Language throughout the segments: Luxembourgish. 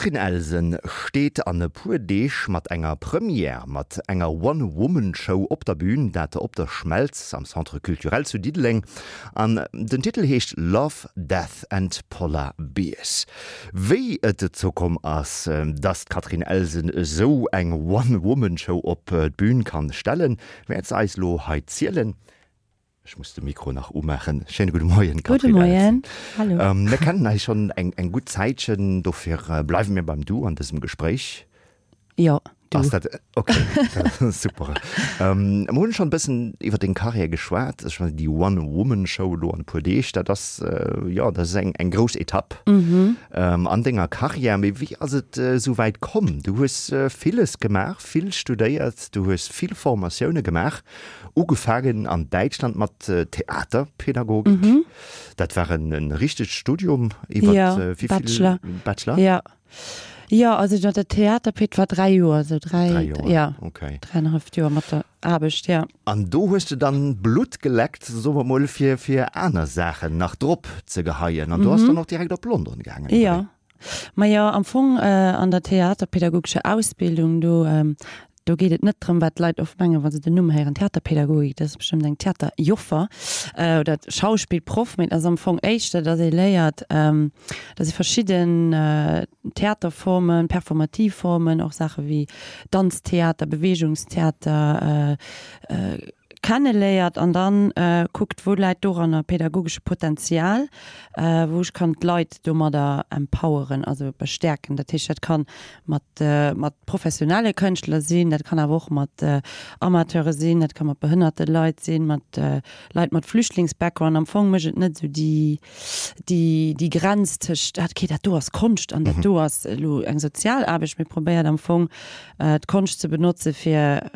D'Catherine Elsen steet an e puer Deeg mat enger Première, mat enger One-Woman-Show op der Bün, dat op der Schmelz am Centre Culturel zu Diddeleng. An den Titel heescht Love, Death and Polar Bears. Wéi et dozou komm ass, dass d'Catherine Elsen esou eng One-Woman-Show op d'Bün kann stellen, wäert se eis elo hei zielen. Ech muss de Mikro nach umaachen. Schéine gudde Moien, Catherine. Gudde Moien, hallo. Ähm, mir kennen eis schonn eng, eng gutt Zäitchen, dofir äh, bleiwe mir beim Du an dësem Gespréich. Jo, du. Ass dat, okay, super. Ähm, mir hunn schonn e bëssen iwwer deng Karriär geschwat. Ech meine, déi One-Woman-Show elo an e puer Deeg, dat ass, äh, jo, dat ass eng, eng grouss Etapp mhm. ähm, an denger Karriär. Mee wéi ass et äh, esou wäit komm? Du hues äh, villes gemaach, vill studéiert, du hues vill Formatioune gemaach. Ugefaangen an Däitschland mat Theaterpädagogik. Mhm. Dat war en, en richtegt Studium iwwer ja, äh, wéi Bachelor. vill Bachelor? Ja. Ja, also mat der Theaterped war 3 Joer, so 3, 3 Joer. Ja. Okay. Dräieinhalb Joer mat der Aarbecht, ja. An do hues de dann Blutt geleckt, soe mer mol, fir, fir aner Saachen nach drop ze geheien. An du ass dann och direkt op London gaangen, oder wéi? Ja. Majo, am Fong an der theaterpädagogescher Ausbildung, do, do geet et net drëm, wat d'Leit oft mengen, wa se den Numm héieren, Theaterpädagogik, dat ass bestëmmt eng Theaterjoffer oder Schauspillproff, mee et ass am Fong éischter, datt ee léiert, datt ee verschidden Theaterformen, performativ Formen, och Saache wéi Danztheater, Beweegungstheater, kenneléiert an dann kuckt, wou läit doranner pädagogesche Potenzial, wou ech kann d'Leit domadder empoweren, also bestäerken. Dat heescht, dat kann mat mat professionelle Kënschtler sinn, dat kann awer och mat Amateure sinn, dat ka mat behënnerte Leit sinn, mat Leit mat Flüchtlingsbackground. Am Fong mécht et net esou déi déi déi Grenz tëscht, ah okay, dat do ass Konscht an dat do ass elo eng sozial Aarbecht, mee probéiert am Fong d'Konscht ze benotze fir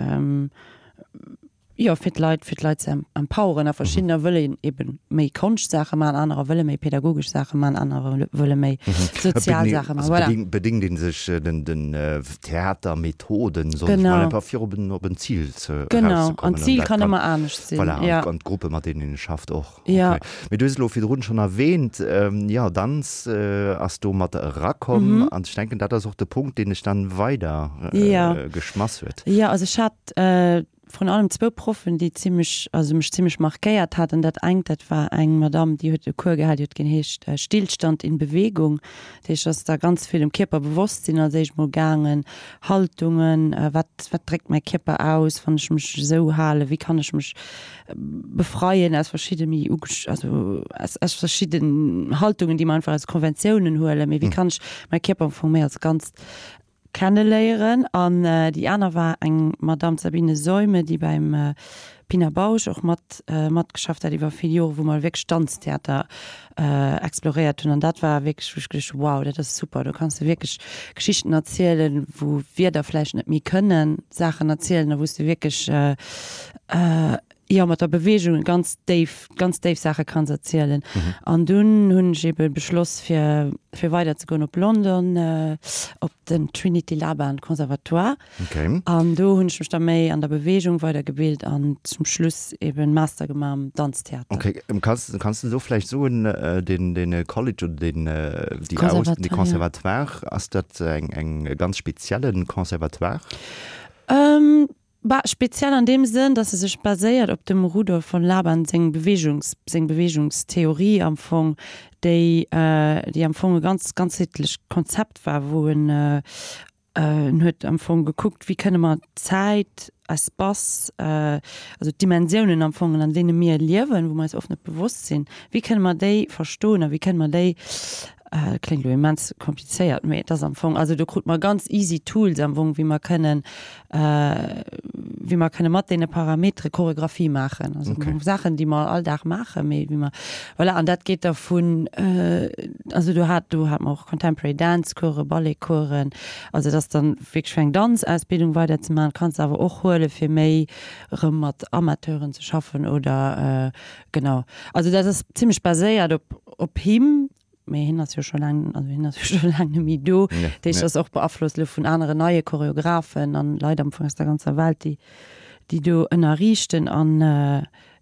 Jo, fir d'Leit, fir d'Leit ze empoweren. A verschiddener wëllen ebe méi Konschtsaache maachen, anerer wëlle méi pädagogesch Saache maachen, anerer wëlle méi sozial Saache maachen. Voilà. Also bedéngt ee sech den, den Theatermethoden, soen ech mol, einfach fir op en, op en Zil ze, erauszekommen. Genau, an d'Zil kann ëmmer anescht sinn. Voilà, an d'Gruppe mat deenen een schafft och. Ja. Okay. Mee du hues elo virdrun schonn erwähnt, jo, Danz ass do mat erakomm. An ech denken, dat ass och de Punkt, deen dech dann weider geschmass huet. Jo, also ech hat vrun allem zwou Proffen, déi zimmlech, also mech zimmlech markéiert haten. Dat engt, dat war eng Madamm, déi huet e Cours gehal, déi huet geheescht Stillstand in Bewegung. Dat heescht, ass da ganz vill ëm Kierperbewosstsinn als éischt mol gaangen, Haltungen, wat, wat dréckt mäi Kierper aus, wann ech mech esou halen, wéi kann ech mech befreien aus verschidde méi also aus, aus verschidden Haltungen, déi mer einfach als Konventiounen huelen, mee wéi kann ech mäi Kierper am Fong méi als Ganzt kenneléieren. An déi aner war eng Madame Sabine Seume, déi beim Pina Bausch och mat matgeschafft hat iwwer vill Joren, wou mer wierklech Danztheater exploréiert hunn. An dat war wierklech, wou ech geduecht hunn, wow, dat ass super, do kanns de wierklech Geschichten erzielen, wou Wierder vläicht net méi kënnen Saachen erzielen a wou s de wierklech jo mat der Beweegung ganz déif, ganz déif Saache kanns erzielen. An dunn hunn ech ebe beschloss fir fir weider ze goen op London op den Trinity Laban Conservatoire. Okay. An do hunn ech mech da méi an der Beweegung weidergebilt an zum Schluss eben Master gemaach am Danztheater. Okay, kanns kanns de do vläicht soen, den den College oder den déi Aus de Conservatoire, ass dat eng eng ganz speziellen Conservatoire? Bah, speziell an deem Sënn, dass e sech baséiert op dem Rudolf von Laban seng Bewegungs, seng Bewegungstheorie am Fong, déi, déi am Fong e ganz ganzheetlecht Konzept war, wou en, en huet am Fong gekuckt, wéi kënne mer Zäit, Espace, also d'Dimensiounen am Fong, an deene mir liewen, wou mer eis oft net bewosst sinn, wéi kënne mer déi verstoen a wéi kënne mer déi Kléngt elo immens komplizéiert, mee et ass am Fong, also do krute mer ganz easy Tools am Fong, wéi mer kënnen, wéi mer kënne mat deene Parametere Choreographie maachen. Also okay. Saachen, déi mer all Dag maachen, mee wéi mer, voilà, an dat geet da vun, also do hat, do hat mer och Contemporary Dance Coursen, Ballet Coursen, also et ass dann wierklech fir eng Danzausbildung weider ze maachen, kanns de awer och huele fir méi erëm mat Amateuren ze schaffen oder Genau. Also dat ass zimmlech baséiert op, op him, mee hien ass jo scho laang, also hien ass jo scho laang net méi do. Ja, Dat heescht, ja. ass och beaflosst elo vun aneren neie Choreografen an Leit am Fong aus der ganzer Welt, déi, déi do ënnerriichten an,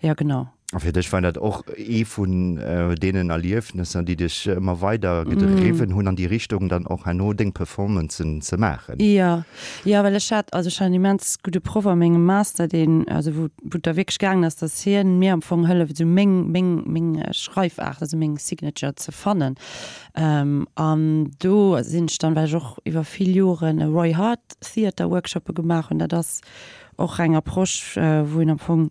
ja genau. A fir dech war dat och ee vun deenen Erliefnesser, déi dech ëmmer weider gedriwwen hunn an déi Richtung dann och herno deng Performancen ze maachen? Jo, jo, well ech hat, also ech hat en immens gudde Proff a mengem Master, deen, also wou wou et da wierklech gaangen ass, datt hien mir am Fong hëlleft, esou meng meng meng Schreifaart, also meng Signature ze fannen. An do sinn ech dann, well ech och iwwer vill Joren e Roy Hart Theater Workshoppe gemaach hunn, dat ass och eng Approche, wou een am Fong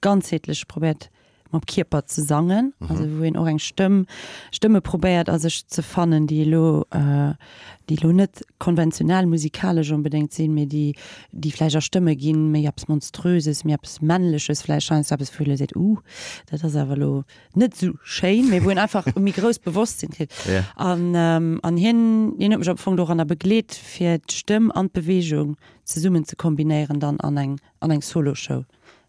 ganzheetlech probéiert mam Kierper ze sangen, also wou een och eng Stëmm, Stëmme probéiert a sech ze fannen, déi elo, déi elo net konventionell musikalesch onbedéngt sinn, mee déi, déi vläicht a Stëmme ginn, méi eppes Monströses, méi eppes Männleches vläicht, heiansdo eppes wou ee elo seet, uh, dat ass awer elo net esou schéin, mee wou een einfach e méi grousst Bewosstsinn kritt. An, an hien, hien huet mech am Fong doranner begleet, fir d'Stëmm an d'Beweegung zesummen ze kombinéieren dann an eng, an eng Soloshow.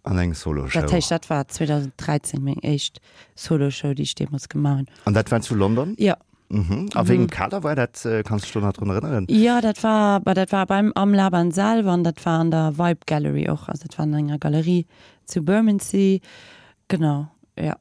An eng Soloshow. Dat heescht, dat war 2013 meng éischt Soloshow, déi ech deemools gemaach hunn. An dat war zu London? Jo. Mhm. A wéi engem Kader war dat? Kanns du dech do nach drun erënneren? Jo, dat war, bah, dat war beim, am Laban selwer an dat war an der Vibe Gallery och. Also dat war an enger Galerie zu Bermondsey. Genau, jo.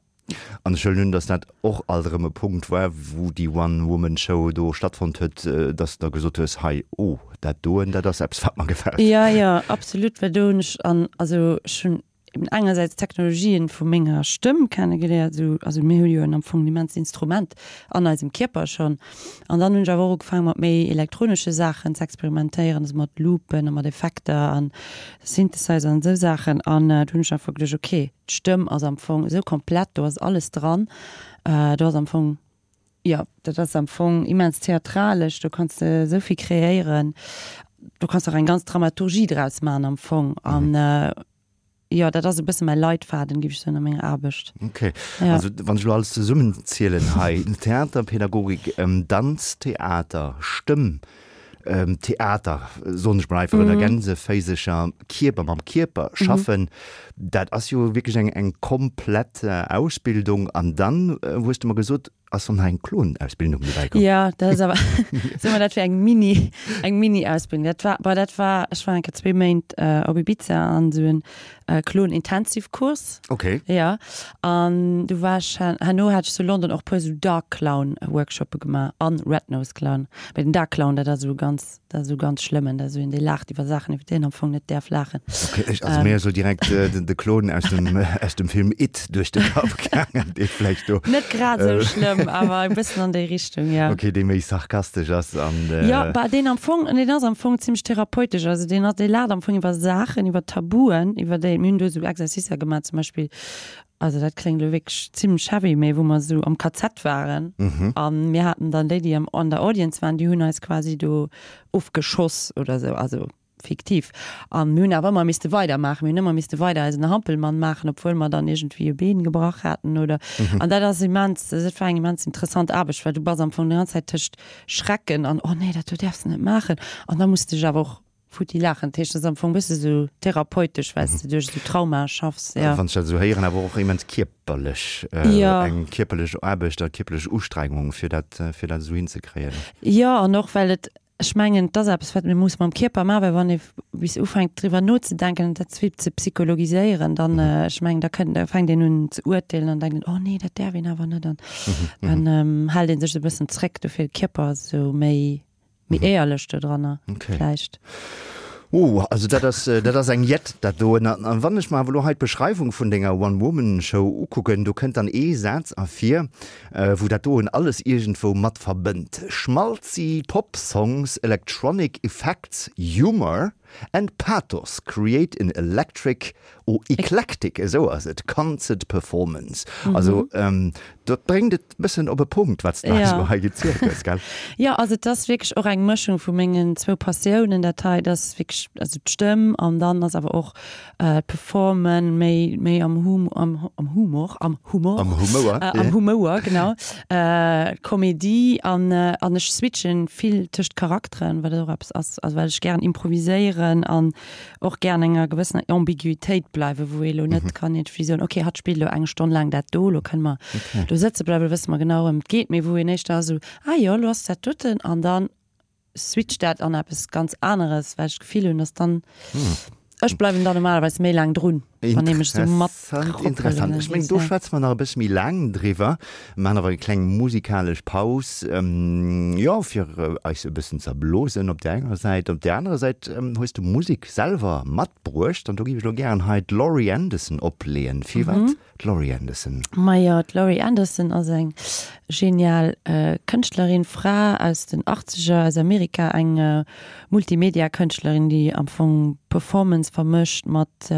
An ech huelen un, datt dat och alt erëm e Punkt war, wou déi One-Woman-Show do stattfonnt huet, datt s de da gesot hues, hei, oh, dat doen, dat ass eppes, wat mer gefält. Jo, jo, absolut, well do hunn ech an, also ech hunn eben engersäits d'Technologien vu menger Stëmm kennegeléiert, esou, also mir hu jo am Fong en immenst Instrument an eisem Kierper schonn. An dann hunn ech awer och ugefaangen, mat méi elektronesche Saachen ze experimentéieren, also mat Loopen a mat Effekter an Synthesizer an esou Saachen. An do hunn ech einfach geduecht, okay, D'Stëmm ass am Fong esou komplett, do ass alles dran. Do ass am Fong, jo, dat ass am Fong immens theatralesch, do kanns de esou vill kreéieren. Do kanns de och eng ganz Dramaturgie draus maachen am Fong. An jo, dat ass e bësse mäi Leitfaden, géif ech soen, a menger Aarbecht. Okay. Also wann ech elo alles zesummenzielen hei, Theaterpädagogik, Danz, Theater, Stëmm, Theater, soen ech mol einfach, oder Gänseféisercher, Kierper, mam Kierper schaffen, dat ass jo wierklech eng, eng komplett Ausbildung. An dann hues de mer gesot, ass dann nach eng Klonausbildung dobäi komm. Jo, dat ass awer, soe mer, dat wär eng Mini, eng Mini-Ausbildung. Dat war, bon, dat war, ech war eng Kéier zwee Méint op Ibiza an esou en Klon-Intensivkurs. Okay. Jo, an du war ech, herno hat ech zu London och puer esou Dark Clown Workshoppe gemaach an Red Nose Clown. Mee den Dark Clown, dat ass esou ganz, dat ass esou ganz schlëmmen, dat ass esou een, dee laacht iwwer Saachen, iwwer déi een am Fong net däerf laachen. Okay, ech, also mir ass elo direkt de Klon aus dem, aus dem Film It duerch de Kapp gaangen, dee vläicht do. Net grad esou schlëmm, awer e bëssen an déi Richtung, jo. Okay, dee méi sarkastesch ass an. Jo, bah, deen am Fong, deen ass am Fong zimmlech therapeutesch. Also deen ass, dee laacht am Fong iwwer Saachen, iwwer Tabuen, iwwer déi, mir hunn do esou Exercicer gemaach zum Beispill, also dat kléngt elo wierklech zimmlech heavy, mee wou mer esou am KZ waren a mir haten dann déi, déi am, an der Audience waren, déi hunn eis quasi do ofgeschoss oder esou, also fiktiv. A mir hunn awer ëmmer misste weidermaachen, mir hunn ëmmer misste weider eisen Hampelmann maachen, obwuel mer dann iergendwéi e Been gebrach haten oder, an dat ass immens, dat war eng immens interessant Aarbecht, well du bass am Fong déi ganz Zäit tëscht Schrecken an oh nee, dat do däerfs de net maachen an da muss de dech awer och futti laachen. Dat heescht, dat ass am Fong e bësse sou therapeutesch, well s de duerch esou Traumae schaffs, jo. Wann ech dat esou héieren, awer och immens kierperlech, eng kierperlech Aarbecht a kierperlech Ustrengung, fir dat, fir dat esou hinzekréien. Jo, an och well et, ech mengen, et ass eppes, wat mir muss mam Kierper maachen, well wann ee bis ufänkt driwwer nozedenken an dat ze vill ze psychologiséieren, dann, ech mengen, da kënnt, da fänkt een un ze urteelen an denkt een, oh nee, dat däerf een awer net an dann hält ee sech esou e bëssen zréck. Dofir de Kierper ass esou méi, méi éierlech dodranner vläicht. Oh, also dat ass, dat ass eng Jett, dat doen. An wann ech mer awer elo hei d'Beschreiwung vun denger One-Woman-Show ukucken, do kënnt dann ee Saz ervir, wou dat doen alles iergendwou mat verbënnt, Schmaltzy Pop Songs, electronic effects, humor and pathos create an electric, oh, eclectic, esou ass et, concert performance. Also dat bréngt et bëssen op e Punkt, wat s de eis elo hei gezielt hues, gell? Jo, also et ass wierklech och eng Mëschung vu mengen zwou Passiounen, dat hei. Et ass wierklech, also d'Stëmm an dann ass awer och d'Performen, méi, méi am Hum, am, am Humor, am Humor, Am Humouer, am Humouer, genau, Komedie an, an ech switchen vill tëscht Charakteren, wat och eppes ass, also well ech gären improviséieren an och gären enger gewëssener Ambiguitéit bleiwen, wou ee lo net kann iergendwéi soen, okay, hatt spillt elo eng Stonn laang dat do, lo kënne mer do sëtze bleiwen, lo wësse mer genau, wouëm et geet, mee wou een éischter ass esou, ah jo, lo ass dat doten an dann switcht dat an eppes ganz aneres, well ech d'Gefill hunn, dass dann. Ech bleiwen dann normalerweis méi laang drun, wann ee mech sou mat Interessant, interessant. Ech mengen, do schwätze mer nach e bësse méi laang driwwer. Mir maachen awer eng kleng musikalesch Paus, jo, fir eis e bëssen ze erblosen op där enger Säit. Op där anerer Säit hues du Musek selwer matbruecht an do géif ech elo gären hei d'Laurie Anderson opleeën. Firwat D'Laurie Anderson. Majo, d'Laurie Anderson ass eng genial Kënschtlerin, Fra aus den Achtzeger aus Amerika, eng Multimedia-Kënschtlerin, déi am Fong Performance vermëscht mat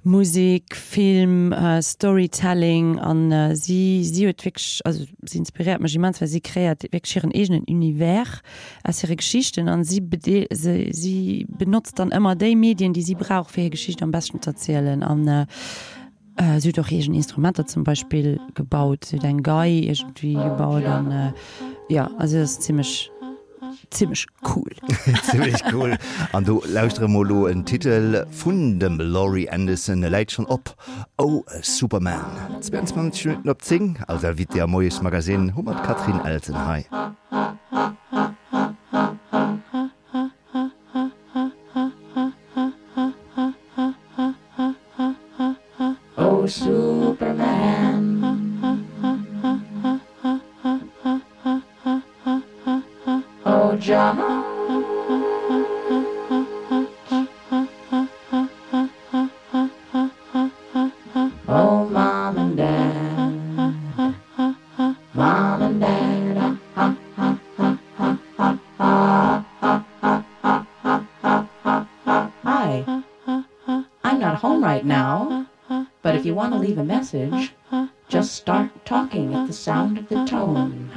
Musek, Film, Storytelling an si si huet wierklech, also si inspiréiert mech immens, well si kreéiert wierklech hiren eegenen Univers aus hire Geschichten an si si benotzt dann ëmmer déi Medien, déi si brauch, fir hir Geschicht am beschten z'erzielen. An si huet och eegen Instrumenter zum Beispill gebaut, si huet eng Gei iergendwéi gebaut an jo, also si ass zimmlech zimmlech cool. Zimmlech cool. An do lauschtere mer elo en Titel vun dem Laurie Anderson, e läit schonn op, Oh Superman. 22 Minutten op 10, als Invitée am Moiesmagazine hu mer d'Catherine Elsen hei. Oh Superman Oh Judge Oh Mom and Dad Mom and Dad ah, ha, ha, ha, ha, ha, ha, ha, ha, ha, ha, ha, ha, ha. Hi. I'm not home right now, but if you want to leave a message, just start talking at the sound of the tone.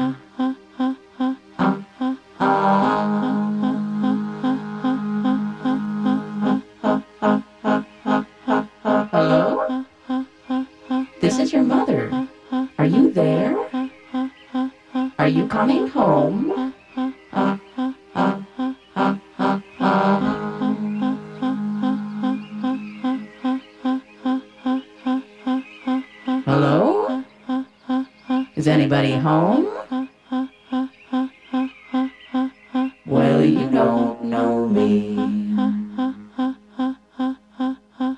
Hello? This is your mother. Are you there? Are you coming home? Hello? Is anybody home? Well, you don't know me,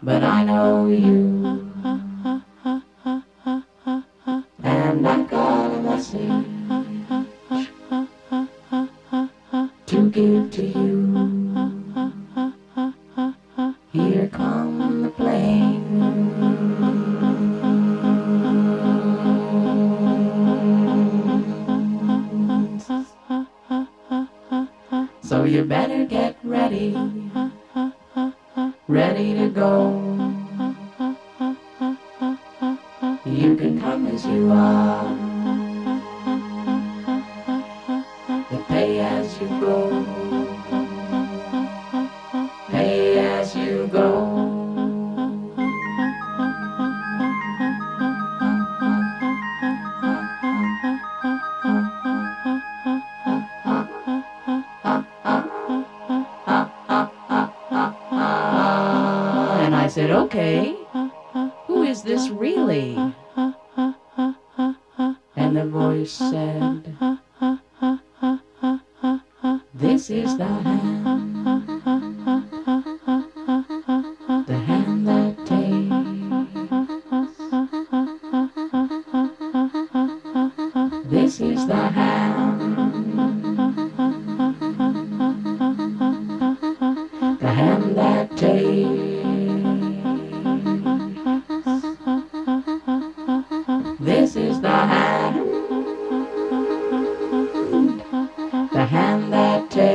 but I know you. And I've got a message to give to you. Here come the planes. So you better get ready, ready to go. You can come as you are. But pay as you go. Pay as you go. And I said, okay, who is this really? And the voice said, This is the hand, the hand that takes. This is the hand, the hand that takes. This is the hand, the hand that takes.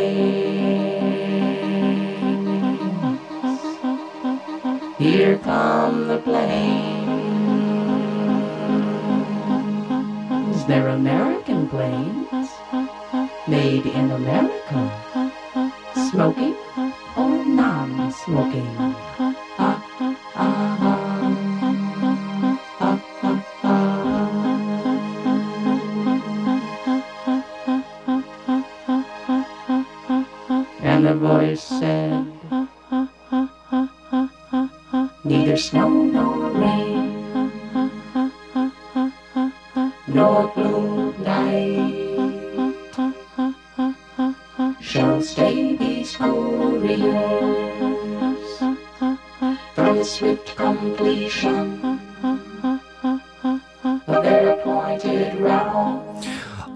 Here come the planes. They're American planes, made in America, smoking or non-smoking. And the voice said, Neither snow nor rain, nor gloom night shall stay these couriers. Completion of their appointed round.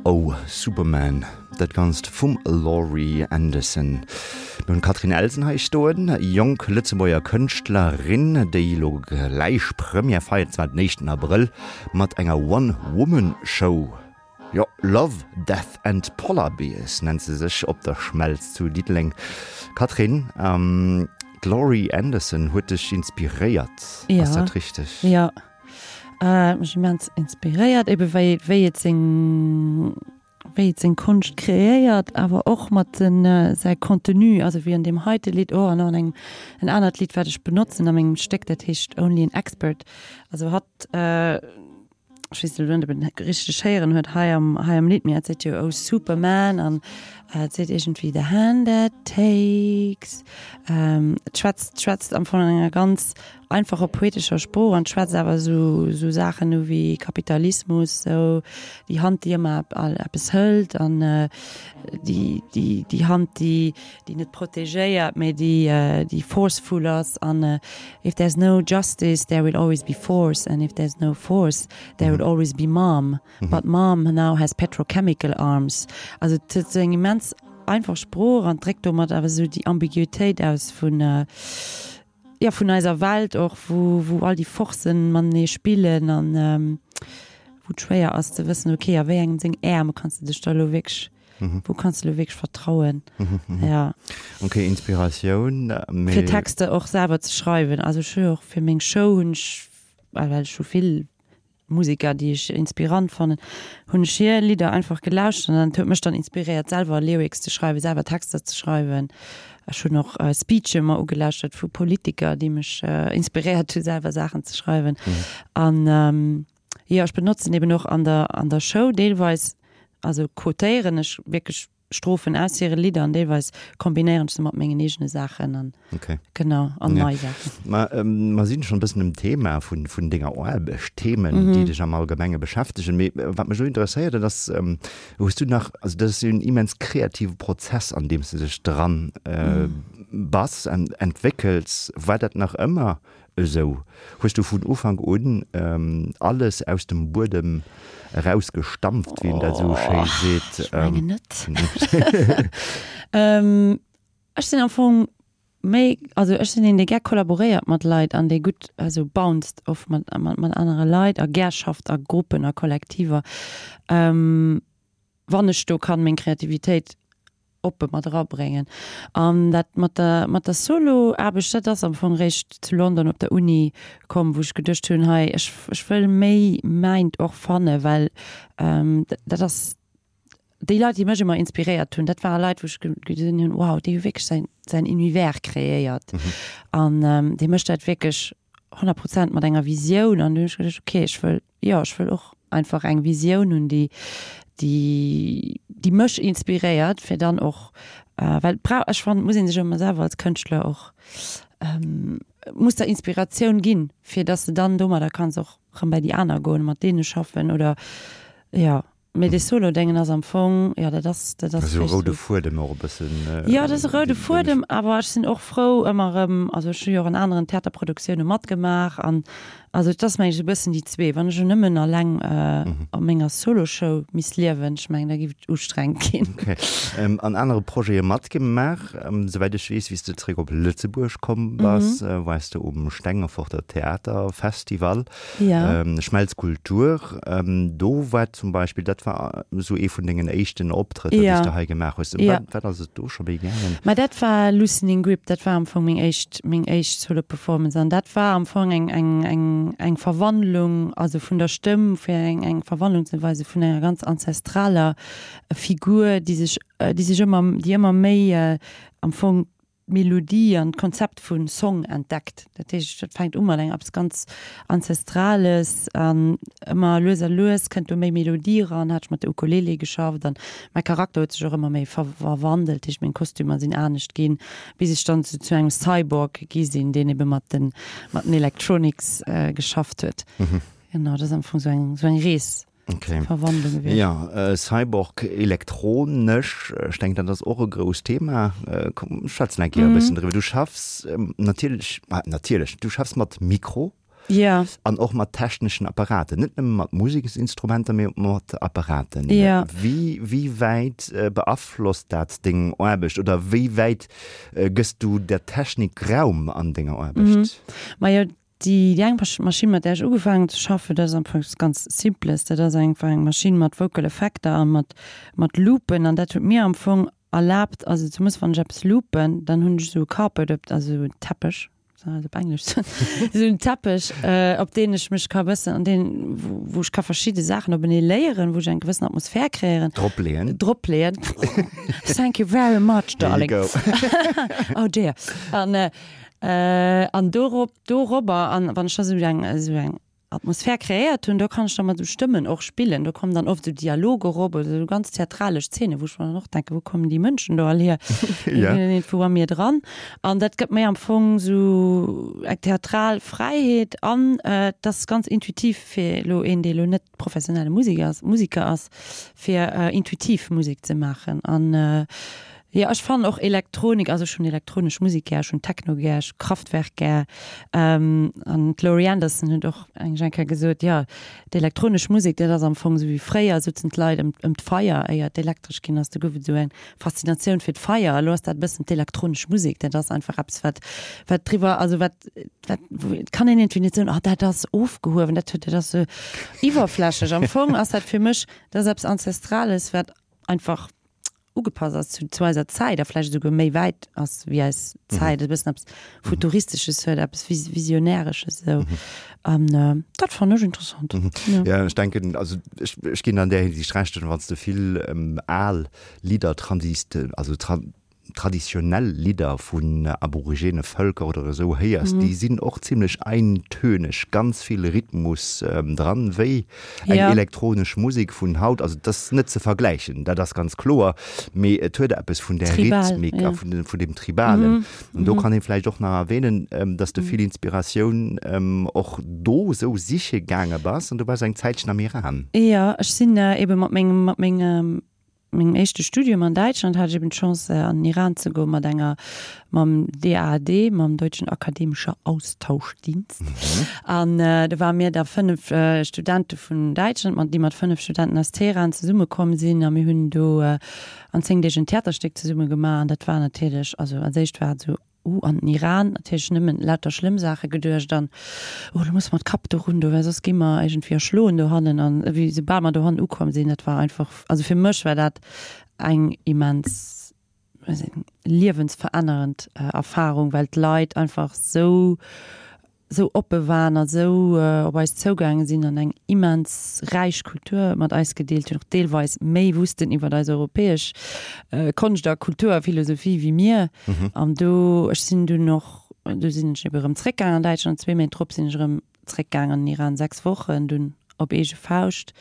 Oh Superman, dat Ganzt vum Laurie Anderson. Mir hunn d'Catherine Elsen hei stoen, jonk Lëtzebuerger Kënschtlerin, déi elo gläich Première feiert, zwar den éischten Abrëll, mat enger One-Woman-Show. Jo, Love, Death and Polar Bears nennt se sech op der Schmelz zu Diddeleng. Catherine, d'Laurie Anderson huet dech inspiréiert, ass dat richteg? Jo, huet mech immens inspiréiert, ebe wéi wéi et seng wéi et seng Konscht kreéiert, awer och mat den säi Contenu, also wéi an deem heite Lidd och an och an engem en anert Lidd wat ech benotzen a mengem Stéck, dat heescht Only an Expert. Also hatt ech weess net, ob en et richteg héieren huet hei am, hei am Lidd, mee et seet jo Oh Superman an et seet iergendwéi The hand that takes. Et schwätzt, schwätzt am Fong an enger ganz einfacher poetescher Sprooch an schwätzt awer esou, esou Saachen u wéi Kapitalismus, sou déi Hand, déi ëmmer eppes hëlt an déi, déi, déi Hand, déi, déi net protegéiert, mee déi, déi forceful ass an If there's no justice, there will always be force, and if there's no force, there will always be mom. But mom now has petrochemical arms. Also et huet esou eng immens einfach Sprooch an dréckt domat awer esou déi Ambiguitéit aus vun, jo, vun eiser Welt och, wou, wou all déi Forcen matenee spillen an wou et schwéier ass ze wëssen, okay, a wéi engem seng Äerm kanns de dech da elo wierklech Wou kanns de lo wierklech vertrauen? Ja. Ok, Inspiratioun, mee. Fir Texter och selwer ze schreiwen. Also ech hu jo och fir meng Show hunn ech, well ech hu vill Museker, déi ech inspirant fannen, hunn ech hir Lidder einfach gelauschtert an dat huet mech dann inspiréiert selwer Lyrics ze schreiwen, selwer Texter ze schreiwen. Ech hunn och Speeche mer ugelauschtert vu Politiker, déi mech inspiréiert hu selwer Saachen ze schreiwen. An Jo, ech benotzen eben och an der, an der Show deelweis, also quotéieren ech wierklech Strophen aus hire Lidder an deelweis kombinéieren ech se mat mengen eegene Saachen an okay. genau, an ja. nei Saachen. Ma ähm, mer sinn schonn e bëssen um Thema vun, vun denger Aarbecht, Themen, mm -hmm. déi dech am Allgemenge beschäftegen. Mee äh, wat mech elo interesséiert, dat ass, ähm, hues du nach, also dat ass jo en immens kreative Prozess, an deem s du dech dran äh, mm. bass an entwéckels. War dat nach ëmmer Esou hues du vun Ufank un alles aus dem Buedem erausgestampft, wéi een dat esou schéi seet. Ech mengen net. Ech sinn am Fong méi, also ech sinn een, dee gär kollaboréiert mat Leit an dee gutt esou bounced oft mat anere Leit a gär schafft a Gruppen a Kollektiver, wann ech do kann meng Kreativitéit oppe mat erabréngen. An dat mat der, mat der Solo-Aarbecht, dat ass am Fong réischt zu London op der Uni komm, wou ech geduecht hunn, hei, ech, ech wëll méi mäint och fannen, well dat ass, déi Leit, déi mech ëmmer inspiréiert hunn, dat ware Leit, wou ech gesinn hunn, wow, dee huet wierklech säin, säin Univers kreéiert an dee mécht dat wierklech 100 Prozent mat enger Visioun. An du hunn ech geduecht, okay, ech wëll, jo, ech wëll och einfach eng Visioun hunn, déi, déi, déi mech inspiréiert, fir dann och, well et brauch, ech fannen, et muss ee sech ëmmer selwer als Kënschtler och, muss der Inspiratioun ginn, fir dass de dann domadder kanns och rëm bei déi aner goen, mat deene schaffen oder, jo. Mee dee Solo-Déngen ass am Fong, jo, dat ass, dat ass Esou e roude Fuedem och e bëssen. Jo, dat ass e roude Fuedem, awer ech sinn och frou ëmmer erëm, also ech hu jo och an aneren Theaterproduktioune matgemaach an also et ass mengen ech esou e bëssen déi zwee. Wann ech elo nëmmen alleng a menger Solo-Show misst liewen, ech mengen da géif et ustrengend ginn. Ok. An anere Projete matgemaach, souwäit ech weess, wéi s de zeréck op Lëtzebuerg komm bass, waars de um Stengeforter Theaterfestival. Ja. Schmelz Kultur, do war zum Beispill, dat war esou ee vun dengen éischten Optrëtter, déi s de hei gemaach hues. Ëm wat, wat ass et do scho méi gaangen? Ma dat war Loosening Grip, dat war am Fong meng éischt, meng éischt Solo-Performance an dat war am Fong eng, eng, eng, eng Verwandlung, also vun der Stëmm, fir eng, eng Verwandlung ze weisen vun enger ganz ancestraler Figur, déi sech, déi sech ëmmer, déi ëmmer méi am Fong d'Melodie an d'Konzept vu Song entdeckt. Dat heescht, dat fänkt u mat engem eppes ganz Ancestrales an ëmmer lues a lues kënnt do méi Melodie eran. Hat ech mat der Ukulele geschafft an mäi Charakter huet sech och ëmmer méi verwandelt, dat heescht meng Kostümer sinn anescht ginn, bis ech dann zu engem Cyborg gi sinn, deen ebe mat den mat den Electronics geschafft huet. Genau, dat ass am Fong sou eng sou eng Rees. Okay. Verwandlung gewiescht. Ja, äh, Cyborg elektronesch, ech denken dat ass och e grousst Thema. Äh, komm, schwätzen eng Kéier e bëssen driwwer. Du schaffs ähm, natierlech, ah, natierlech, du schaffs mat Mikro. Ja. An och mat techneschen Apparaten, net nëmme mat Museksinstrumenter, mee och mat Apparaten. Ja. Wéi, wéi wäit beaflosst dat deng Aarbecht oder wéi wäit gëss du der Technik Raum an denger Aarbecht? Majo, déi eng Maschinn, mat där ech ugefaangen hunn ze schaffen, dat ass am Fong eppes ganz Simples. Dat ass einfach eng Maschinn mat Vocal Effekter a mat, mat Loopen an dat huet mir am Fong erlaabt, also zumools wann ech eppes loopen, dann hunn ech esou e Carpet op, also esou en Teppech, soll dat op Englesch soen, esou en Teppech, op deen ech mech ka bëssen, an deen, wou ech ka verschidde Saachen openee léieren, wou ech eng gewëssen Atmosphär kreéieren. Drop leeën. Drop leeën. Thank you very much, darling. There you go. Oh dear. An, an dorop, dorobber, an wann ech da esou eng, esou eng Atmosphär kreéiert hunn, do kann ech da mat esou Stëmmen och spillen. Do kommen dann oft esou Dialoger erop oder esou ganz theatralesch Zeenen, wou ech mer dann och denken, wou kommen déi Mënschen do all hier? Déi sinn iergendwou a mir dran. An dat gëtt mir am Fong esou eng theatral Fräiheet an et ass ganz intuitiv fir elo een, dee elo net professionelle Musiker ass, Musiker ass, fir intuitiv Musek ze maachen. An Jo, ech fannen och Elektronik, also ech hunn elektronesch Musek gär, ech hunn Techno gär, ech hu Kraftwerk gär. An d'Laurie Anderson huet och eng eng Kéier gesot, jo, d'elektronesch Musek, dat ass am Fong esou wéi fréier souzen d'Leit ëm ëm d'Feier, éier et elektresch ginn ass, do gouf et esou eng Faszinatioun fir d'Feier. Elo ass dat e bëssen d'elektronesch Musek, dat ass einfach eppes, wat wat driwwer, also wat wat, et kann een iergendwéi net soen, oh dat ass ofgehuewen, dat huet, dat ass esou iwwerflächlech. Am Fong ass dat fir mech, dat ass eppes Ancestrales, wat einfach ugepasst ass zu, zu eiser Zäit a vläicht esouguer méi wäit ass wéi eis Zäit, e bëssen eppes Futuristesches huet, eppes Vis Visionäresches esou. An dat fannen ech interessant. Ja. Ja, ech denken, also ech, ech ginn an där Hinsicht Recht, wann s de vill al Lidder transist, also tra traditionell Lidder vun aborigene Vëlker oder esou héiers, déi sinn och zimlech eintöneg, ganz vill Rhythmus dran, wéi Eng ja. elektronesch Musek vun haut, also dat ass net ze vergläichen, dat ass ganz kloer, mee et huet eppes vun der Tribal, Rhythmik ja. a vun, vun dem Tribalen. Mhm. An do mhm. kann ee vläicht och nach erwähnen, ähm, dass de vill Inspiratioun ähm, och do sou siche gaange bass an du bass eng Zäitchen am Iran. Ja, ech sinn äh, ebe mat mengem, mat mengem mengem éischte Studium an Däitschland hat ech eben d'Chance an den Iran ze goen mat enger, mam DAAD, mam Deutschen Akademischer Austauschdienst. An do ware mir da 5 Studente vun Däitschland, mat, déi mat 5 Studenten aus Teheran zesumme komm sinn a mir hunn do an 10 Deeg en Theaterstéck zesumme gemaach an dat war natierlech, also als éischt war et esou, Uh, an den Iran, natierlech nëmmen lauter schlëmm Saache geduecht an, oh, do musse mer d'Kap do run do, well soss gi mer iergendwéi erschloen dohannen. An wéi soubal mer dohannen ukomm sinn, dat war einfach, also fir mech war dat eng immens liewensverännerend Erfarung, well d'Leit einfach sou sou oppe waren a sou op eis zougaange sinn an eng immens räich Kultur mat eis gedeelt hunn, och deelweis méi wussten iwwer eis europäesch Konscht a Kultur a Philosophie wéi mir. An do, ech sinn dunn och, du sinn ech ebe rëm zréckgaangen an Däitschland, zwee Méint drop sinn ech erëm zréckgaangen an den Iran, 6 Wochen dunn op eege Fauscht.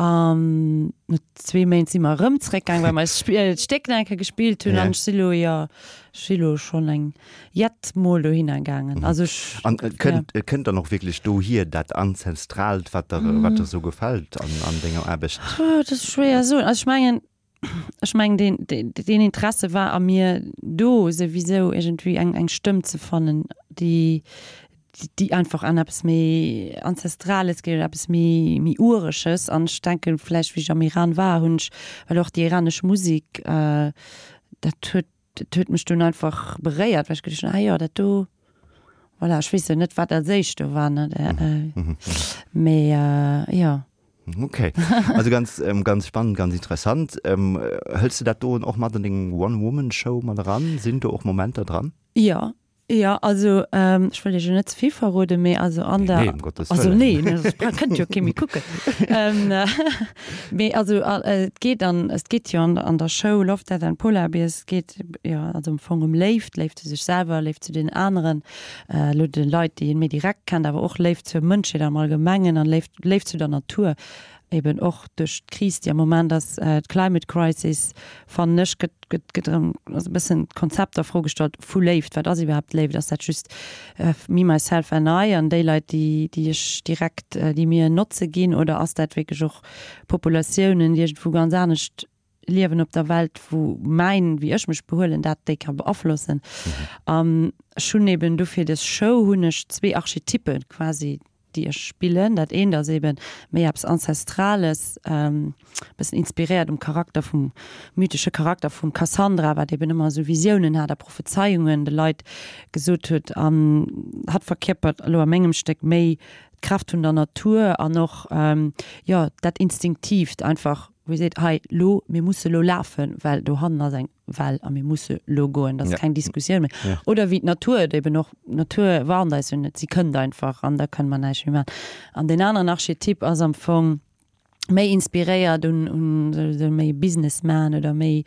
An no zwee Méint si mer erëm zréckgaang, well mer eist Stéck nach eng Kéier gespillt hunn. An ech si lo, jo, ech si lo schonn eng jett Mol dohinner gaangen. Also ech, An et kënnt, et kënnt dann och wierklech dohier, dat Ancestralt, wat der, wat der esou gefält an, an denger Aarbecht? Dat ass schwéier soen. Also ech mengen, ech mengen, deen, deen, deen Interesse war a mir do souwisou, iergendwéi eng, eng Stëmm ze fannen, déi, déi einfach an eppes méi Ancestrales geet oder eppes méi, méi Ureges. An ech denken, vläicht wéi ech am Iran war, hunn ech, well och déi iranesch Musek, dat huet, dat huet mech dunn einfach beréiert, well ech geduecht hunn, ah jo, dat do, voilà, ech weess jo net, wat als éischt do war, ne, mee jo. Okay, also ganz, ähm, ganz spannend, ganz interessant. Ähm, hëls de dat do och mat an deng One-Woman-Show mat eran? Sinn do och Momenter dran? Jo, jo, also ähm, ech wëll iech jo net ze vill verroden, mee also an der. Nee, um Gottes Also Wëllen. nee, ne, soss kënnt jo kee méi kucken. Ähm, mee also et geet an, et geet jo an, an der Show Love, Death and Polar Bears, et geet jo also am Fong ëm Léift, Léift zu sech selwer, Léift zu den aneren, elo de Leit, déi een méi direkt kennt, awer och Léift zur Mënschheet am Allgemengen an Léift, Léift zu der Natur. Eben och duerch d'Kris, déi am Moment ass, d'Climate Crisis, fannen ech, gëtt, gëtt, gëtt erëm also e bëssen d'Konzept a Fro gestallt vu Léift. Wat ass iwwerhaapt Léift? Ass dat just me, myself and I an déi Leit, déi, déi ech direkt, déi mir en Notze ginn? Oder ass dat wierklech och Populatiounen, déi iergendwou ganz anescht liewen op der Welt, wou mäin, wéi ech mech behuelen, dat déi ka beaflossen? An ech hunn eben dofir dës Show hunn ech zwee Archetyppe quasi, déi ech spillen. Dat eent ass eben méi eppes Ancestrales, e bëssen inspiréiert um Charakter vum, mythesche Charakter vum Cassandra, wat eben ëmmer esou Visiounen hat a Prophezeiungen de Leit gesot huet. An hatt verkierpert elo a mengem Stéck méi d'Kraaft vun der Natur an och, jo, dat Instinktiivt einfach, wou ee seet, hei lo, mir musse lo lafen, well dohannen ass eng Well a mir musse lo goen, dat ass keng Diskussioun méi. Oder wéi d'Natur et eben och, d'Natur warnt eis jo net, si kënnt einfach an da kënne mer näischt méi maachen. An deen aneren Archetyp ass am Fong méi inspiréiert un un esou méi Businessman oder méi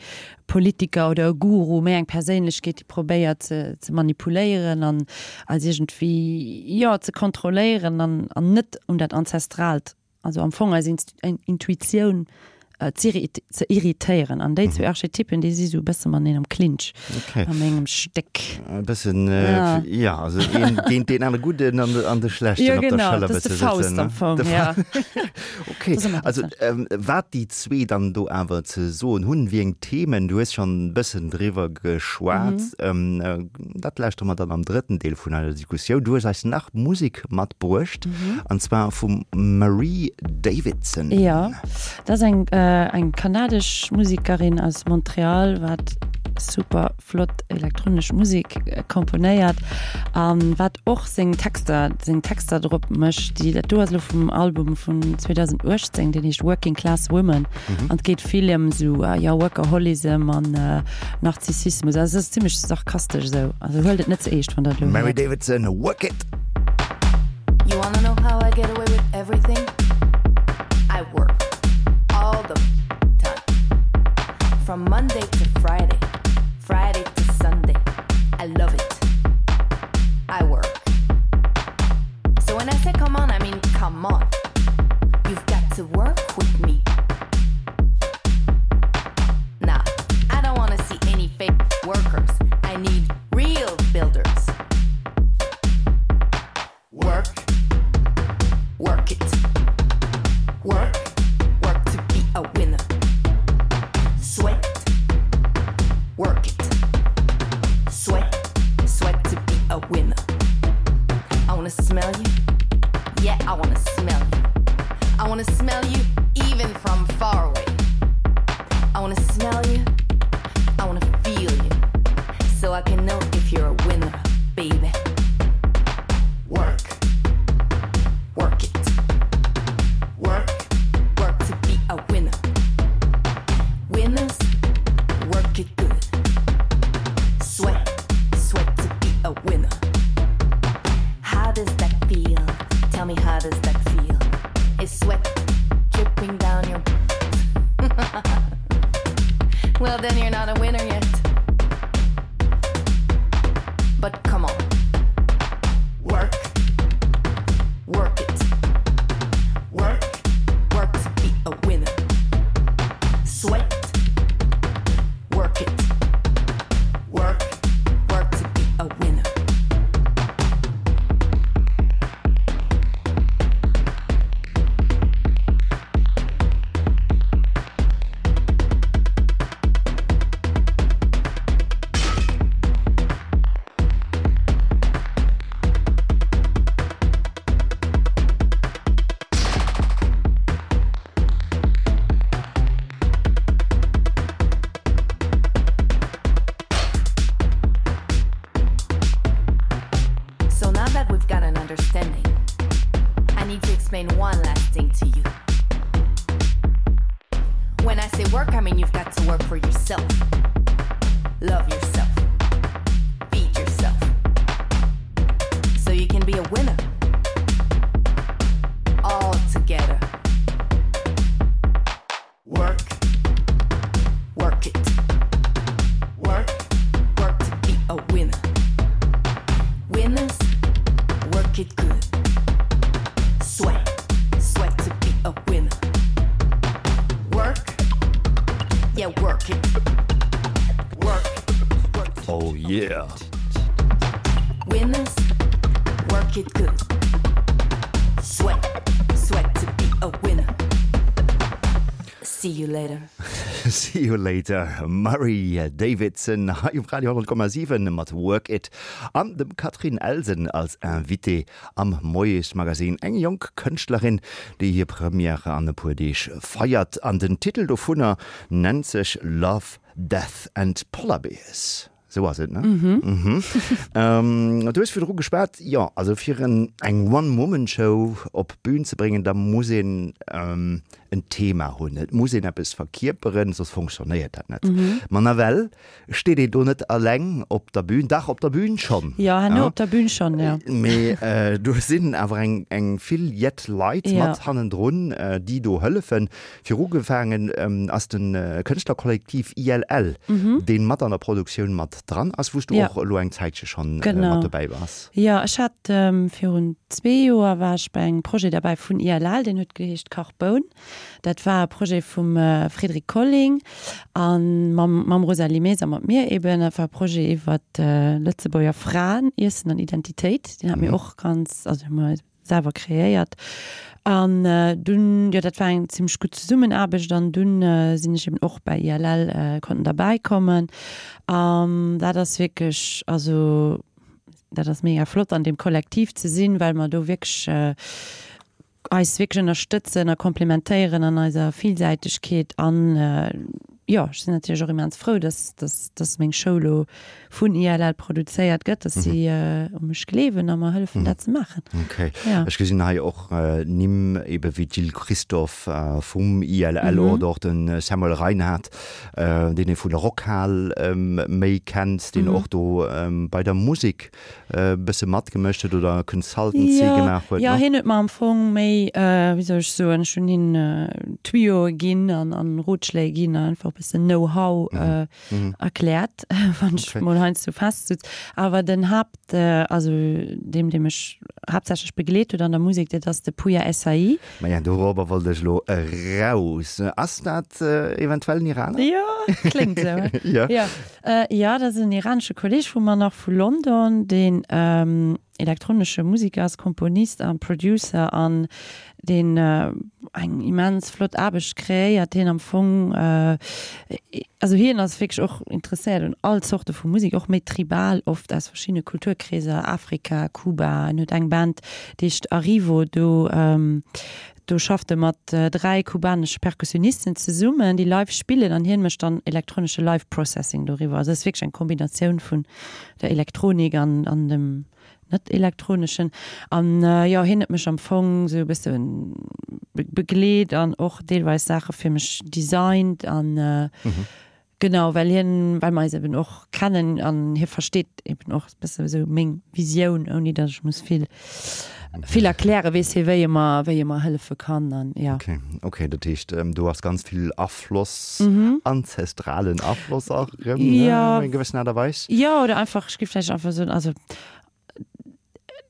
Politiker oder e Guru, méi eng Perséinlechkeet, déi probéiert ze ze manipuléieren an eis iergendwéi, jo, ze kontrolléieren an an net un dat Ancestralt also am Fong eis Intuitioun ze irritéieren. An déi zwee Archetypen, déi si sou e bësse mateneen am Clinch a mengem Stéck. E bëssen, jo, also een géint deen anere Gudden an de Schlechten op der Schëller bësse sëtzen. Jo, genau, dat ass de Faust am Fong, jo. Ok, also wat déi zwee dann do awer ze soen hunn, wéi eng Themen, du hues schonn e bëssen driwwer geschwat, dat lauschtere mer dann am drëtten Deel vun eiser Diskussioun. Du hues eis nach Musek matbruecht. An zwar vum Marie Davidson. Jo, dat ass eng eng kanadesch Musekerin aus Montreal, wat super flott elektronesch Musek komponéiert a wat och seng Texter seng Texter drop mécht. Déi dat do ass elo vum Album vun 2018, deen heescht Working Class Women an et geet vill ëm esou jo Workaholism an Narzissismus. Also et ass zimmlech sarkastesch esou, also huelt et net ze eescht wann der et elo Mary héiert. Davidson, Work It! You wanna know how I get away with everything? I work all the time. From Monday to Friday, Friday to Sunday. I love it. I work. So when I say come on, I mean come on. You've got to work with me. Nah, I don't wanna see any fake workers. I need real builders. Work, work it. Work, work to be a winner. Sweat, work it. Sweat, sweat to be a winner. I wanna smell you. Yeah, I wanna smell you. I wanna smell you even from far away. I wanna smell you. I wanna feel you. So I can know if you're a winner, baby. Work. Work it. Work. Work to be a winner. Winners work it good. Sweat, sweat to be a winner. How does that feel? Tell me how does that feel? Is sweat dripping down your Well then you're not a winner yet. But come on. Work. Work it. Work. Work to be a winner. Sweat. Work it. Work. Work to be a winner. So now that we've got an understanding, I need to explain one last thing to you. When I say work, I mean you've got to work for yourself. Love yourself. Feed yourself. So you can be a winner. All together. Work. Work it. Work. Work to be a winner. Winners work it good. Sweat. Sweat to be a winner. Yeah! Winners work it good. Sweat, sweat to be a winner. See you later. See you later, Murray Davidson hei um Radio 10,7 mat Work It an dem Catherine Elsen als Invitée am Moiesmagazin. Eng jonk Kënschtlerin, déi hir Première an e puer Deeg feiert an den Titel dovunner nennt sech Love, Death and Polar Bears. Sou ass et, ne? Mhm. Du hues virdru geschwat, jo, also fir en eng One-Woman-Show op d'Bün ze bréngen, da muss een en Thema hunn, et muss een eppes verkierperen, soss fonctionnéiert dat net. Ma nawell steet een do net alleng op der Bühn, dach op der Bühn schonn. Jo, herno op der Bühn schonn, jo. Mee do sinn awer eng eng vill jett Leit mat hannendrun, déi do hëllefen. Fir ugefaangen ass de Kënschtlerkollektiv ILL, deen mat an der Produktioun mat dran ass, wou s du och elo eng Zäitche schonn mat dobäi bass. Jo, ech hat virun zwee Joer war ech bei engem Projet derbäi vun ILL, deen huet geheescht Carboun. Dat war e Projet vum Frédéric Colling a mam mam Rosalie Maes a mat mir eben. Dat war e Projet iwwer Lëtzebuerger Fraen, Iessen an Identitéit. Deen hat mir och ganz, also hu mer selwer kreéiert an dunn, jo dat war eng zimmlech gutt Zesummenaarbecht an dunn sinn ech eben och bei ILL konnten derbäi kommen an dat ass wierklech, also dat ass mega flott an deem Kollektiv ze sinn, well mer do wierklech eis wierklech ënnerstëtzen a komplementéieren an eiser Villsäitegkeet an jo ech sinn natierlech och immens frou, dass dass dass meng Show lo vun ILL produzéiert gëtt, dass si u mech gleewen a mer hëllefen dat ze maachen. Ok. Ech gesinn hei och Nimm ebe wéi d'Jill Christophe vum ILL oder och de Samuel Reinard, deen ee vun der Rockhal méi kennt, deen och do bei der Musek e bësse matgemëscht huet oder Consultancy gemaach huet. Jo, hien huet mer am Fong méi, wéi soll ech soen, ech hunn him Tuyauxe ginn an Rotschléi ginn an einfach e bëssen Know-how erkläert, wann ech mol heiansdo festsutz. Awer den Haapt, also deem, dee mech haaptsächlech begleet huet an der Musek, dat ass de Pouya Essayi. Maja, dorobber wollt ech elo eraus. Ass dat eventuell en Iraner? Jo, kléngt esou, he? Jo. Jo, jo, dat ass en iranesche Kolleeg vu mer nach vu London, deen elektronesche Musiker ass, Komponist a Producer an deen eng immens flott Aarbecht kreéiert, deen am Fong, also hien ass wierklech och interesséiert un all Zorte vu Musek, och méi tribal oft, aus verschiddene Kulturkreeser, Afrika, Kuba, en huet eng Band, déi heescht Arrivo, do do schafft e mat 3 kubanesche Perkussionisten zesummen, déi live spillen an hien mécht dann elektronesche Live Processing doriwwer. Also et ass wierklech eng Kombinatioun vun der Elektronik an an dem net elektroneschen. An jo, hien huet mech am Fong sou e bësse begleet an och deelweis Saache fir mech designt an genau, well hien, well mer eis eben och kennen an hie versteet eben och e bësse sou meng Visioun, ouni datt ech muss vill vill erklären, weess hie wéi e mer, wéi e mer hëllefe kann an jo. Okay, okay, dat heescht do ass ganz vill Afloss, anzestralen Afloss och erëm, ne, op eng gewëssen Aart a Weis. Jo, oder einfach, ech géif vläicht einfach soen, also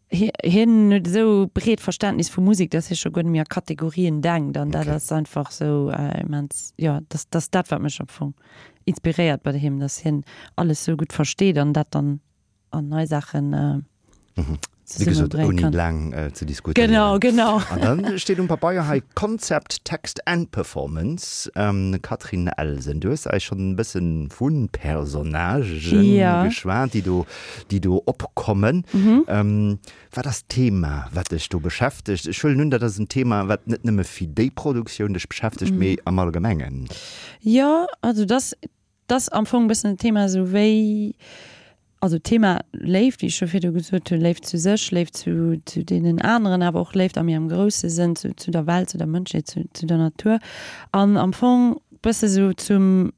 hien huet esou breet Verständnis vu Musek, datt hie scho guer net méi a Kategorien denkt an dat ass einfach esou immens, jo, dat ass dat wat mech am Fong inspiréiert bei him, datt hien alles esou gutt versteet an dat dann an nei Saachen Wéi gesot, zesummebréngen ouni kann. laang ze diskutéieren. Genau, genau. An dann steet um Pabeier hei Concept, Text and Performance. Catherine Elsen, du hues eis schonn e bësse vu Personnagen Ja. geschwat, déi do, déi do opkommen. Wat ass d'Thema, wat dech do beschäftegt? Ech huelen un, dat ass en Thema, wat net nëmme fir déi Produktioun dech beschäftegt, mee am Allgemengen. Jo, also dass 't ass am Fong e bëssen en Thema esou wéi, also Thema Léift, wéi ech scho virdu gesot hunn, Léift zu sech, Léift zu zu deenen aneren, awer och Léift a méi am grousse Sënn zu zu der Welt, zu der Mënschheet, zu zu der Natur an am Fong bësse sou zum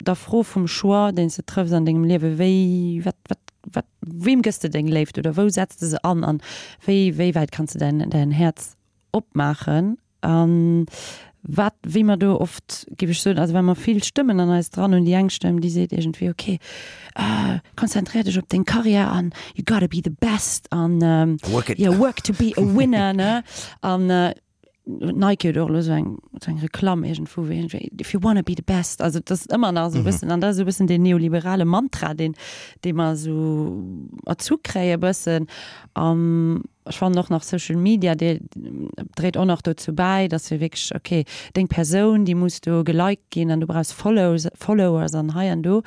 der Fro vum Choix, deen s de trëffs an dengem Liewen, wéi, wat wat wat weem gëss de deng Léift oder wou setz de se an an wéi wéi wäit kanns de däin däin Häerz opmaachen. A wat, wéi mer do oft, géif ech soen, also well mer vill Stëmmen an eis dran hunn, déi eng Stëmm, déi seet iergendwéi, ok, konzentréier dech op deng Karriär an you gotta be the best an Work it. yeah, work to be a winner, ne? An. Nike huet och elo esou eng, esou eng Reklamm iergendwou, wéi iergendwéi, If you wanna be the best. Also et ass ëmmer nach esou e bëssen, an dat ass esou e bëssen deen neoliberale Mantra, deen, dee mer esou erzu kréie e bëssen. An ech fannen och nach Social Media, dee dréit och nach dozou bäi, dass wir wierklech, okay, deng Persoun, déi muss do geliked ginn an du brauchs Follows, Followers an hei an do.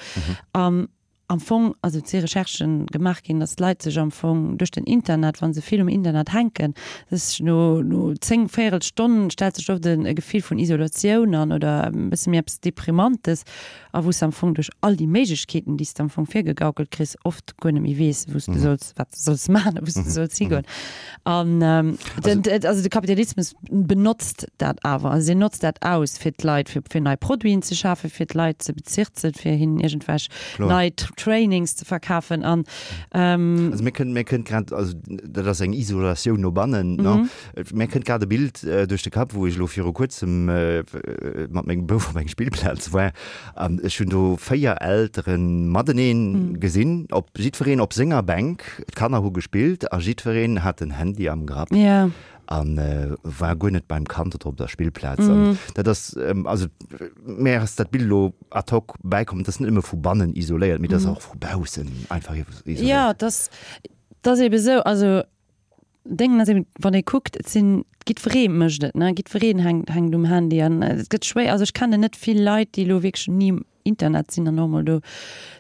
An Am Fong, also et si Recherchen gemaach ginn, datt d'Leit sech am Fong duerch den Internet, wa se vill um Internet hänken, sech no no 10, véierel Stonn stellt sech oft e Gefill vun Isolatioun an oder e bësse méi eppes Deprimantes a wou s de am Fong duerch all déi Méiglechkeeten, déi s de am Fong virgegaukelt kriss, oft guer net méi weess, wou s de solls, wat s de solls maachen a wou s de solls higoen. An den, also de Kapitalismus benotzt dat awer, also deen notzt dat aus, fir d'Leit, fir, fir nei Produiten ze schafen, fir d'Leit ze bezirzen, fir hinnen iergendwelch nei Trainings ze verkafen an. Also mir kënnt, mir kënnt grad, also dat ass eng Isolatioun no bannen, ne? Mir kënnt grad e Bild duerch de Kapp, wou ech elo viru kuerzem mat mengem Bouf op engem Spillplaz war an ech hunn do 4 Eltere matenee gesinn, op jiddwereen op senger Bänk, d'Kanner hu gespillt a jiddwereen hat den Handy am Grapp. An war guer net beim Kand oder op der Spillplaz. An dat ass, also mär ass dat Bild elo ad hoc bäikomm, et ass net nëmme vu bannen isoléiert, mee et ass och vu baussen einfach isoléiert. Jo, et ass, et ass eebe sou, also Déngen ass eben, wann ee kuckt, et sinn, jiddweree mécht et, ne, jiddwereen hänkt, hänkt um Handy an et gëtt schwéier, also ech kennen net vill Leit, déi elo wierklech ni um Internet sinn an och emol do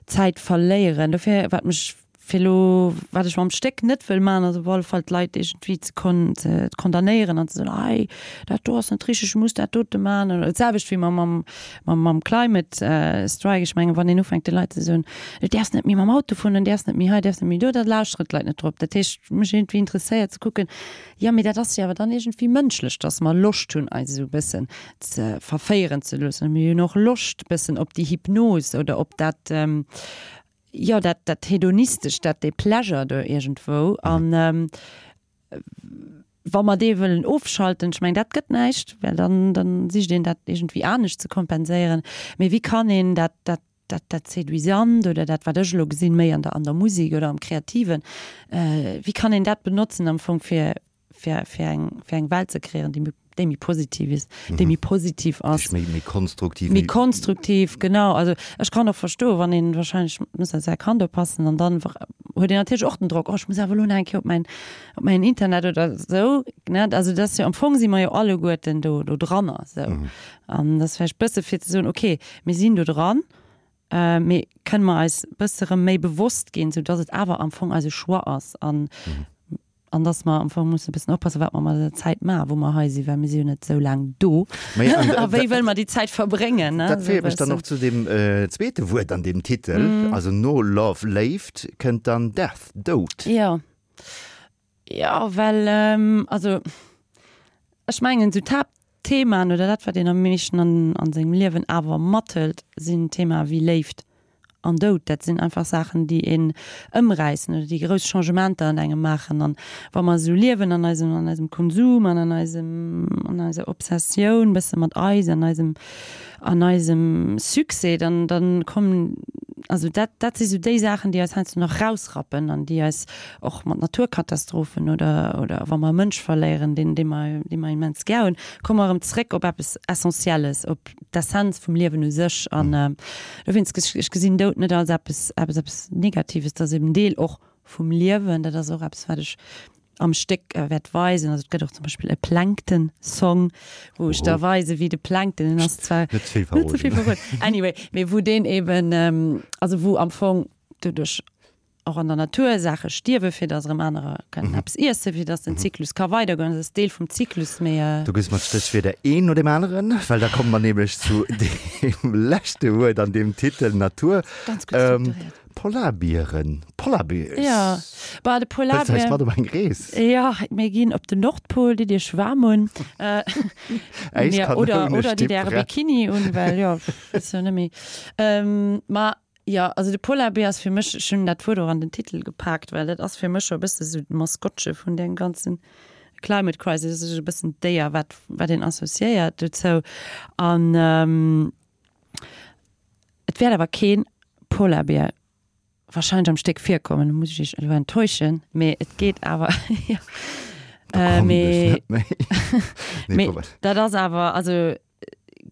Zäit verléieren. Dofir, wat mech fir elo, wat ech mam Stéck net wëll maachen, ass op alle Fall d'Leit iergendwéi ze kon-, ze condamnéieren an ze soen, hei, dat do ass net richteg, du muss dat dote maachen. Oder d'selwecht wéi mam, mam, mam, mam Climate Strike. Ech mengen, wann een ufänkt de Leit ze soen, du däerfs net méi mam Auto fueren, du däerfs net méi hei, du däerfs net méi do, da lauschteren d'Leit net drop. Dat heescht, mech iergendwéi interesséiert ze kucken, jo, mee dat ass jo awer dann iergendwéi mënschlech, dass mer Loscht hunn, eis esou e bëssen ze verféieren ze loossen. Mir hunn och Loscht bëssen op déi Hypnos oder op dat, jo, dat, dat Hedonistescht, dat, dee Pleasure do iergendwou. An wa mer dee wëllen ofschalten, ech mengen, dat gëtt näischt, well dann, dann sicht een dat iergendwéi anescht ze kompenséieren. Mee wéi kann een dat, dat, dat, dat Séduisant oder dat, wat ech elo gesinn, méi an der, an der Musek oder am Kreativen, wéi kann een dat benotzen am Fong fir, fir, fir eng, fir eng Welt ze kreéieren, déi méi, déi méi positiv is, déi méi positiv ass. Méi, méi konstruktiv. Méi konstruktiv, genau. Also ech kann och verstoen, wann een wahrscheinlech muss op säi Kand oppassen an dann huet een natierlech och den Drock, oh ech muss awer elo nach eng Kéier op mäin, op mäin Internet oder esou, ne. Also dat ass jo, am Fong si mer jo alleguerten do, do dranner esou. An dat ass vläicht bësse fir ze soen, okay, mir sinn do dran, Mee kënne mer eis bësse rëm méi bewosst ginn, sou dass et awer am Fong eise Choix ass an an dass mer am Fong musse bëssen oppassen, wat mer mat eiser Zäit maachen, wou mer hei sinn, well mir si jo net esou laang do. A wéi wëlle mer déi Zäit verbréngen, ne? Dat féiert mech dann och zu deem zweete Wuert an deem Titel. Also no Love, Léift, kënnt dann Death, Doud. Jo. Jo, well also ech mengen esou d'Haaptthemaen oder dat wat een am meeschten an an sengem Liewen awer mathëlt, sinn Themae wéi Léift an Doud. Dat sinn einfach Saachen déi een ëmräissen oder déi grouss Changementer an engem maachen. An wa mer esou liewen an eisem an eisem Konsum an an eisem an eiser Obsessioun bësse mat eis an eisem an eisem Succès, dann dann kommen also dat dat si sou déi Saachen déi eis heiansdo nach rausrappen an déi eis och mat Naturkatastrophen oder oder wa mer e Mënsch verléieren, deen dee mer dee mer immens gär hunn, komme mer erëm zréck op eppes Essentielles, op d'Essenz vum Liewen u sech. An dowéinst, ech ech gesinn Doud net als eppes eppes eppes Negatives, dat ass eben Deel och vum Liewen. Dat ass och eppes, wat ech am Stéck wäert weisen. Also et gëtt och zum Beispill e Plankton-Song, wou ech da weise wéi de Plankton, deen ass zwar, Net ze vill verroden. Net ze vill verroden. Anyway, mee wou deen eben, also wou am Fong doduerch och an der Natur Saache stierwe fir datt erëm anerer kënnen eppes iessen, fir datt den Zyklus ka weidergoen. Dat ass Deel vum Zyklus, mee. Do gëss mer d'Stéchwierder een no deem aneren, well da komme mer nämlech zu deem leschte Wuert an deem Titel, Natur. Ganz gutt strukturiert. Polarbieren, Polar Bears. Jo, bah de Polarbier. Hëls eis mat op eng Rees? Jo, mir ginn op den Nordpol, ditt iech waarm un. Äiskanoune Oder ditt äre Bikini un, well jo, ass jo net méi. Ma Jo, also de Polarbier ass fir mech, ech hunn dat Wuert och an den Titel gepaakt, well dat ass fir mech scho e bësse sou d'Maskottche vun deem ganzen Climate Crisis, dat ass e bëssen d'Déier, wat, wat een associéiert dozou. An et wäert awer kee Polarbier wahrscheinlech am Stéck virkommen, do muss ech iech elo enttäuschen, mee et geet awer, jo. Mee mee dat ass awer, also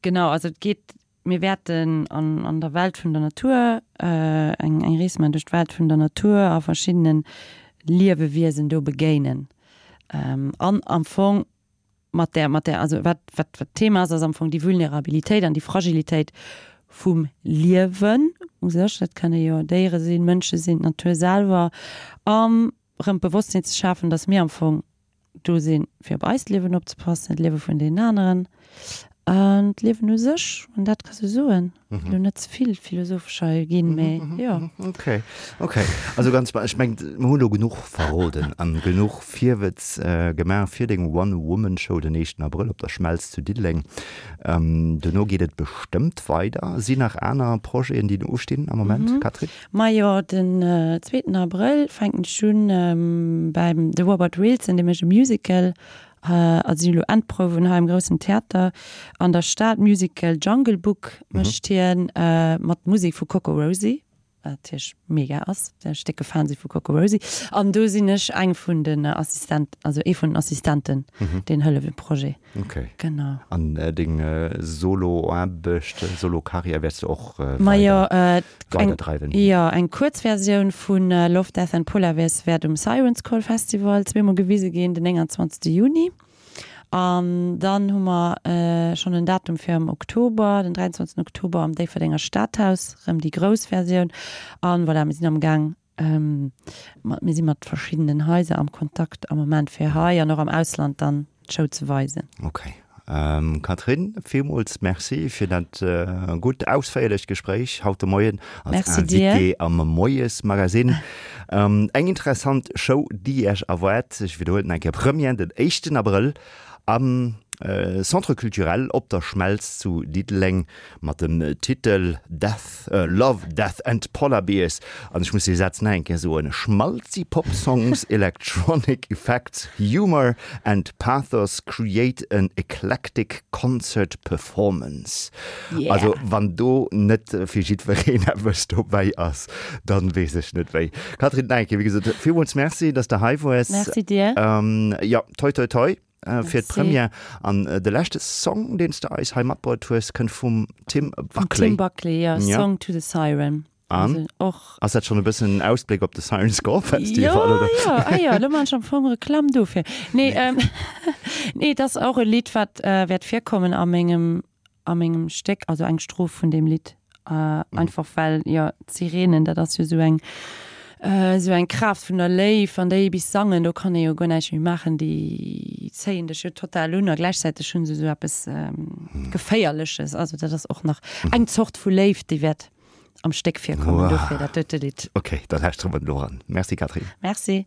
genau, also et geet, mir wäerten an an der Welt vun der Natur eng eng Rees maachen duerch d'Welt vun der Natur a verschiddene Liewewiesen do begéinen an am Fong mat där, mat där, also wat, wat, wat d'Thema ass, ass am Fong déi Vulnerabilitéit an déi Fragilitéit vum Liewen u sech. Dat kënne jo Déiere sinn, Mënsche sinn, d'Natur selwer. An erëm d'Bewosstsinn ze schafen, dass mir am Fong do sinn, fir op eist Liewen opzepassen, d'Liewe vun deenen aneren an d'Liewen u sech. Wann dat ka sou soen. Elo net ze vill philosophesch hei ginn, mee jo. Okay, okay. Also ganz, ech mengen, mir hunn elo genuch verroden an genuch Virwëtz gemaach fir deng One-Woman-Show den éischten Abrëll op der Schmelz zu Diddeleng. Dono geet et bestëmmt weider. Sinn nach aner Projeten, déi ustinn am Moment, Catherine? Majo, den zweeten Abrëll fänken ech un beim de Robert Wilson, dee mécht e Musical Also si elo Endprouwen hei am groussen Theater an der Stad. Musical Jungle Book mécht hien mat Musek vu CocoRosie, wat natierlech mega ass, well ech décke Fan si vu CocoRosie. An do sinn ech eng vun den Assistent, also ee vun den Assistenten, deen hëlleft um Projet. Okay. Genau. An deng Solo-Aarbecht, Solo-Karriär wäerts du och weider weiderdreiwen? Jo, eng Kuerzversioun vu Love, Death and Polar Bears wäert um Siren's Call Festival zweemol gewise ginn, den 29. Juni. An dann hu mer schonn en Datum fir am Oktober, den 23. Oktober am Déifferdenger Stadhaus, rëm déi grouss Versioun. An voilà, mir sinn am Gaang, mir si mat verschiddenen Haiser am Kontakt am Moment fir hei an och am Ausland dann d'Show ze weisen. Okay. Catherine, villmools Merci fir dat gutt ausféierlecht Gespréich haut de Moien als Invitée am Moiesmagazine. Eng interessant Show, déi Iech erwaart. Ech widderhuelen nach eng Kéier, Première den éischten Abrëll am Centre Culturel Op der Schmelz zu Diddeleng mat dem Titel Death, Love, Death and Polar Bears. An ech muss dee Saz nach eng Kéier soen, Schmaltzy Pop Songs, Electronic Effects, Humor and Pathos create an eclectic concert performance. Yeah. Also wann do net fir jiddwereen eppes dobäi ass, dann weess ech net wéi. Catherine, nach eng Kéier, wéi gesot, villmools Merci, dass de hei woars. Merci dir. Jo, toi toi toi. Fir d'Première. An de leschte Song, deen s de eis hei matbruet hues, kënnt vum Tim Buckley. Tim Buckley, jo, Song to the Siren. An? Och. Ass dat schonn e bëssen en Ausbléck op de Siren's Call Festival, oder? Jo, jo, ah jo, elo maan ech am Fong Reklamm dofir. Nee, nee, et ass och e Lidd, wat wäert virkommen a mengem a mengem Stéck, also eng Stroph vun deem Lidd, einfach well, jo, d'Sirenen, dat ass jo esou eng, esou eng Kraaft vun der Léift, wann déi bis sangen, do kann ee jo guer näischt méi maachen, déi zéien dech jo total un a gläichzäiteg hu se esou eppes Geféierleches, also dat ass och nach eng Zort vu Léift, déi wäert am Stéck virkommen, dofir dat dote Lidd. Ok, da lauschtere mer elo eran. Merci Catherine. Merci.